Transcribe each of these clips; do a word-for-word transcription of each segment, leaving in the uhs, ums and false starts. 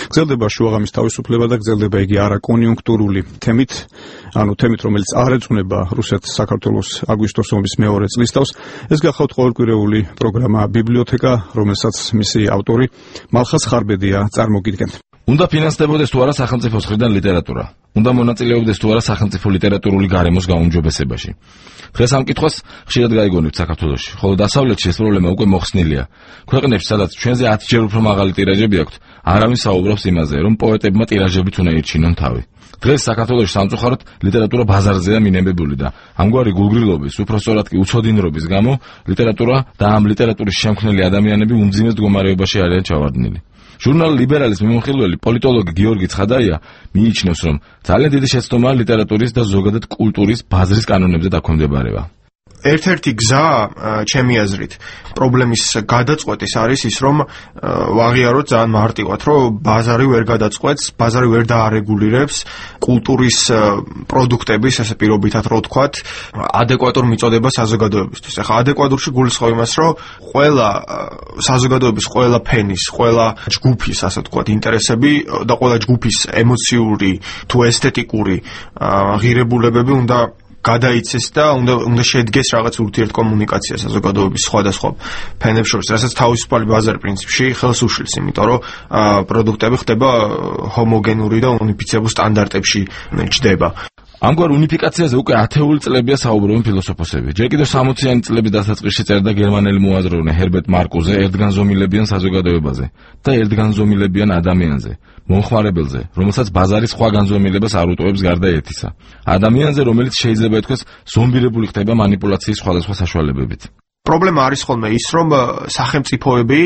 გრძელდება შუაღამის თავისუფლება და გრძელდება იგი არაკონიუნქტურული თემით, ანუ თემით, რომელიც არ ეძღვნება რუსეთ-საქართველოს აგვისტოს ომის მეორე წლისთავს. ეს გახავთ ყოველკვირეული პროგრამა ბიბლიოთეკა, რომელსაც მისი ავტორი მალხაზ ხარბედია წარმოგიდგენთ. უნდა ფინანსდებოდეს თუ არა სახელმწიფოს მხრიდან ლიტერატურა? უნდა მონაწილეობდეს თუ არა სახელმწიფო ლიტერატურული გარემოს გაუმჯობესებაში? დღეს ამ კითხვას ხშირად გაიგონებთ საქართველოში, ხოლო დასავლეთში ეს პრობლემა უკვე მოხსნილია. ქვეყნებში, სადაც ჩვენზე ათჯერ უფრო მაღალი ტირაჟები აქვთ, არავინ საუბრობს იმაზე, რომ პოეტებმა ტირაჟებით უნდა ირჩინონ თავი. დღეს საქართველოში სამწუხაროდ ლიტერატურა ბაზარზეა მინებებული და ამგვარი გულგრილობის, უпроსტორად კი უცოდინრობის გამო ლიტერატურა და ამ ლიტერატურის შემქმნელი ადამიანები უმძიმეს მდგომარეობაში არიან ჩავარდნილი. ჟურნალ ლიბერალის მიმოხილველი პოლიტოლოგი გიორგი ცხადაია მიიჩნევს, რომ ძალიან დიდი შეცდომაა ლიტერატურის და ზოგადად კულტურის ბაზრის კანონებზე დაქვემდებარება. ერთ-ერთი გზა, ჩემი აზრით, პრობლემის გადაწყვეტის არის ის, რომ ვაღიაროთ ძალიან მარტივად, რომ ბაზარი ვერ გადაწყვეტს, ბაზარი ვერ დაარეგულირებს კულტურის პროდუქტების, ესე პირობითად რო ვთქვათ, ადეკვატურ მიწოდებას საზოგადოებისთვის. ახლა ადეკვატურში გულისხმობ იმას, რომ ყველა საზოგადოების, ყველა ფენის, ყველა ჯგუფის, ასე ვთქვათ, ინტერესები და ყველა ჯგუფის ემოციური თუ ესთეტიკური ღირებულებები უნდა გადაიცეს და უნდა უნდა შედგეს რაღაც ურთიერთკომუნიკაცია საზოგადოების სხვადასხვა ფენებს შორის, რასაც თავისუფალი ბაზარი პრინციპში ხელს უშლის, იმიტომ რომ პროდუქტები ხდება ჰომოგენური და უნიფიცირებულ სტანდარტებში ჯდება. ამგვარ უნიფიკაციაზე უკვე ათეული წლებია საუბრობენ ფილოსოფოსები. ჯერ კიდევ სამოციანი წლების დასაწყისში წერდა გერმანელი მოაზროვნე ჰერბერტ მარკუზე ერთგანზომილებიან საზოგადოებაზე და ერთგანზომილებიან ადამიანზე, მომხმარებელზე, რომელსაც ბაზარი სხვა განზომილებას არ უტოვებს გარდა ერთისა. ადამიანზე, რომელიც შეიძლება ითქვას ზომბირებული ხდება მანიპულაციის სხვადასხვა საშუალებებით. პრობლემა არის ხოლმე ის, რომ სახელმწიფოები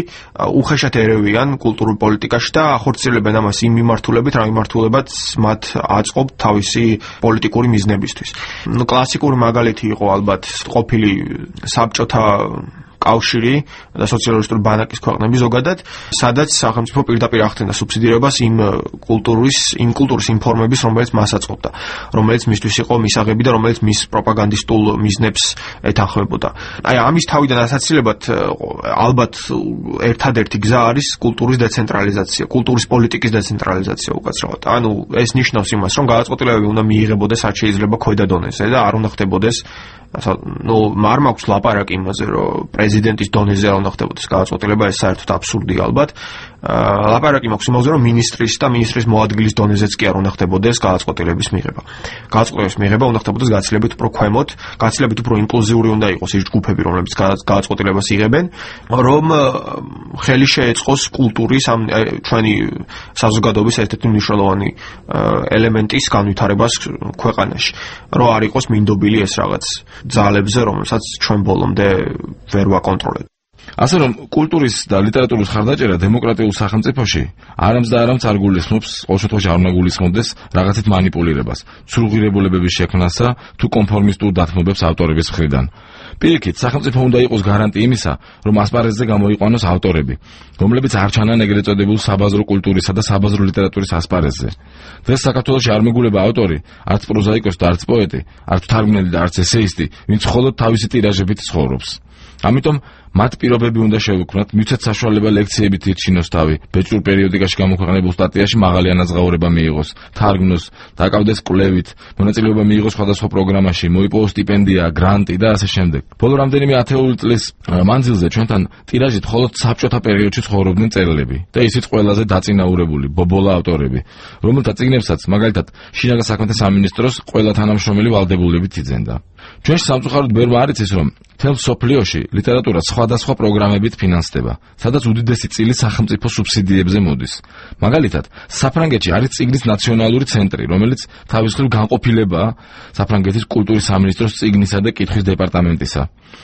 უხეშად ერევიან კულტურულ პოლიტიკაში და ახორციელებენ ამას იმ მიმართულებით, რა მიმართულებაც მათ აწყობთ თავისი პოლიტიკური მიზნებისთვის. ნუ კლასიკური მაგალითი იყო ალბათ ყოფილი საბჭოთა კავშირი და სოციალისტური ბანაკის ქვეყნები ზოგადად, სადაც სახელმწიფო პირდაპირ ახდენდა სუბსიდირებას იმ კულტურის, იმ კულტურის იმ ფორმების, რომელიც მას აწყობდა, რომელიც მისთვის იყო მისაღები და რომელიც მის პროპაგანდისტულ მიზნებს ეთანხმებოდა. აი, ამის თავიდან ასაცილებლად ალბათ ერთადერთი გზა არის კულტურის დეცენტრალიზაცია, კულტურის პოლიტიკის დეცენტრალიზაცია უკაცრავად. ანუ ეს ნიშნავს იმას, რომ გადაწყვეტილებები უნდა მიიღებოდეს რაც შეიძლება ქვედა დონეზე და არ უნდა ხდებოდეს ნუ არ მაქვს ლაპარაკი იმაზე, რომ პრეზიდენტის დონეზე არ უნდა ხდებოდეს გადაწყვეტილება, ეს საერთოდ აბსურდია ალბათ. ლაპარაკი მაქვს იმაზე, რომ მინისტრის და მინისტრის მოადგილის დონეზეც კი არ უნდა ხდებოდეს გადაწყვეტილების მიღება. გადაწყვეტილების მიღება უნდა ხდებოდეს გაცილებით უფრო ქვემოთ, გაცილებით უფრო ინკლუზიური უნდა იყოს ის ჯგუფები, რომლებიც გადაწყვეტილებას იღებენ, რომ ხელი შეეწყოს კულტურის ამ ჩვენი საზოგადოების ერთ-ერთი მნიშვნელოვანი ელემენტის განვითარებას ქვეყანაში, რომ არ იყოს მინდობილი ეს რაღაც ძალებზე, რომელსაც ჩვენ ბოლომდე ვერ ვაკონტროლებთ. ასე რომ კულტურის და ლიტერატურის ხარდაჭერა დემოკრატიულ სახელმწიფოში არამც და არამც არ გულისხმობს, ყოველ შემთხვევაში არ უნდა გულისხმობდეს რაღაცით მანიპულირებას, ცრუღირებულებების შექმნასა თუ კონფორმისტულ დათმობებს ავტორების მხრიდან. პირიქით, სახელმწიფო უნდა იყოს გარანტი იმისა, რომ ასპარეზზე გამოიყვანოს ავტორები, რომლებიც არ ჩანან ეგრეთ წოდებულ საბაზრო კულტურისა და საბაზრო ლიტერატურის ასპარეზზე. დღეს საქართველოში არ მეგულება ავტორი, არც პროზაიკოსი და არც პოეტი, არც თარგმნელი და არც ესეისტი, ვინც მხოლოდ თავისი ტირაჟებით ცხოვრობს. ამიტომ მათ პირობები უნდა შევუქმნათ, მივცეთ საშუალება ლექციებით ირჩინოს თავი, ბეჭდურ პერიოდიკაში გამოქვეყნებულ სტატიაში მაღალი ანაზღაურება მიიღოს, თარგმნოს, დაკავდეს კვლევით, მონაწილეობა მიიღოს სხვადასხვა პროგრამაში, მოიპოვოს სტიპენდია, გრანტი და ასე შემდეგ. ბოლო რამდენიმე ათეული წლის მანძილზე ჩვენთან ტირაჟით მხოლოდ საბჭოთა პერიოდში ცხოვრობდნენ მწერლები და ისიც ყველაზე დაწინაურებული, ბობოლა ავტორები, რომელთა წიგნებსაც მაგალითად შინაგან საქმეთა სამინისტროს ყველა თანამშრომელი ვალდებულებით იძენდა. ჩვენში სამწუხაროდ ბევრმა არ იცის, რომ მთელ მსოფლიოში ლიტერატურა სხვადასხვა პროგრამებით ფინანსდება, სადაც უდიდესი წილი სახელმწიფო სუბსიდიებზე მოდის. მაგალითად, საფრანგეთში არის წიგნის ნაციონალური ცენტრი, რომელიც თავის მხრივ განყოფილებაა საფრანგეთის კულტურის სამინისტროს წიგნისა და კითხვის დეპარტამენტისა.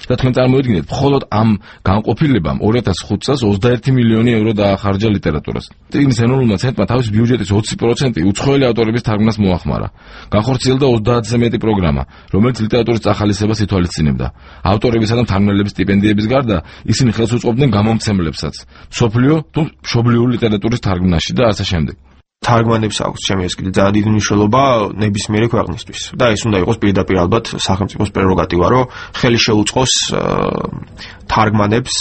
და თქვენ წარმოიდგინეთ, მხოლოდ ამ განყოფილებამ ორი ათას ხუთი წელს ოცდაერთი მილიონი ევრო დაახარჯა ლიტერატურას. წიგნის ენრულმა ცენტრმა თავის ბიუჯეტის ოცი პროცენტი უცხოელი ავტორების თარგმნას მოახმარა. განხორციელდა ოცდაათზე მეტი პროგრამა, რომელიც ლიტერატურის წახალისებას ითვალისწინებდა. ავტორებისა და მთარგმნელების სტიპენდიების გარდა ისინი ხელს უწყობდნენ გამომცემლებსაც, მსოფლიო თუ მშობლიური ლიტერატურის თარგმნაში და ასე შემდეგ. თარგმანებს აქვს ჩემი ეს კიდე ძალიან დიდი მნიშვნელობა ნებისმიერი ქვეყნისთვის და ეს უნდა იყოს პირდაპირ ალბათ სახელმწიფოს პრეროგატივა, რომ ხელი შეუწყოს თარგმანებს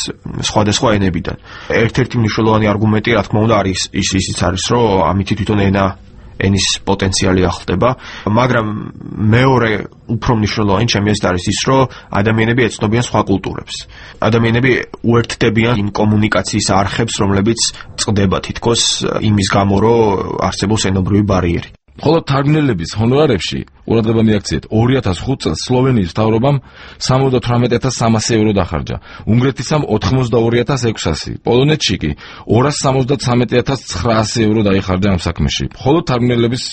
სხვადასხვა ენებიდან. ერთ-ერთი მნიშვნელოვანი არგუმენტი, რა თქმა უნდა, არის ის ისიც არის, რომ ამით თვითონ ენა ენის პოტენციალი ახლდება, მაგრამ მეორე უფრო მნიშვნელოვანი ჩემი აზრით არის ის, რომ ადამიანები ეცნობიან სხვა კულტურებს. ადამიანები უერთდებიან იმ კომუნიკაციის არხებს, რომლებიც წყდება თითქოს იმის გამო, რომ არსებობს ენობრივი ბარიერი. მხოლოდ თარგმნელების ჰონორარებში ყურადღება მიაქციეთ ორი ათას ხუთ წელს სლოვენიის მთავრობამ სამოცდათვრამეტ ათას სამასი ევრო დახარჯა, უნგრეთისამ ოთხმოცდაორი ათას ექვსასი, პოლონეთში კი ორას სამოცდათვრამეტ ათას ცხრაასი ევრო დაიხარჯა ამ საქმეში. მხოლოდ თარგმნელების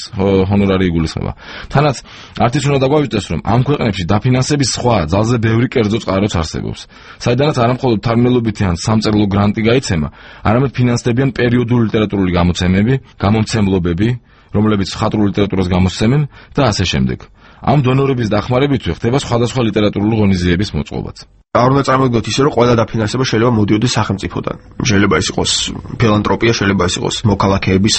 ჰონორარი იგულისხმება. თანაც არც ის უნდა დაგვაუწყდეს, რომ ამ ქვეყნებში დაფინანსების სხვა ძალზე ბევრი კერძო წყაროც არსებობს, საიდანაც არა მხოლოდ თარგმნელობითი ან სამწერლო გრანტი გაიცემა, არამედ ფინანსდებიან პერიოდული ლიტერატურული გამოცემები, გამომცემლობები, რომლებიც მხატვრულ ლიტერატურას გამოსცემენ და ასე შემდეგ. ამ დონორების დახმარებითვე ხდება სხვადასხვა ლიტერატურული ღონისძიების მოწყობაც. არ უნდა წარმოვიდგინოთ ისე, რომ ყველა დაფინანსება შეიძლება მოდიოდეს სახელმწიფოდან. შეიძლება ის იყოს ფილანთროპია, შეიძლება ის იყოს მოქალაქეების,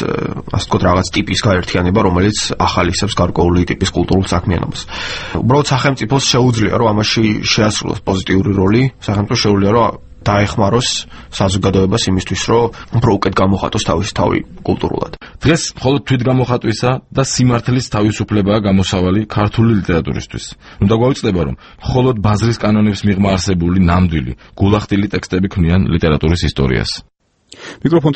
ასე ვთქვათ, რაღაც ტიპის გაერთიანება, რომელიც ახალისებს გარკვეული ტიპის კულტურულ საქმიანობას. უბრალოდ სახელმწიფოს შეუძლია, რომ ამაში შეასრულოს პოზიტიური როლი, სახელმწიფოს შეუძლია, რომ დაეხმაროს საზოგადოებას იმისთვის, რომ უფრო უკეთ გამოხატოს თავისი თავი კულტურულად. დღეს მხოლოდ თვითგამოხატვისა და სიმართლის თავისუფლებაა გამოსავალი ქართული ლიტერატურისთვის. უნდა გვაუწყდება, რომ მხოლოდ ბაზრის კანონების მიღმა არსებული ნამდვილი, გულახდილი ტექსტები ქმნიან ლიტერატურის ისტორიას. მიკროფონ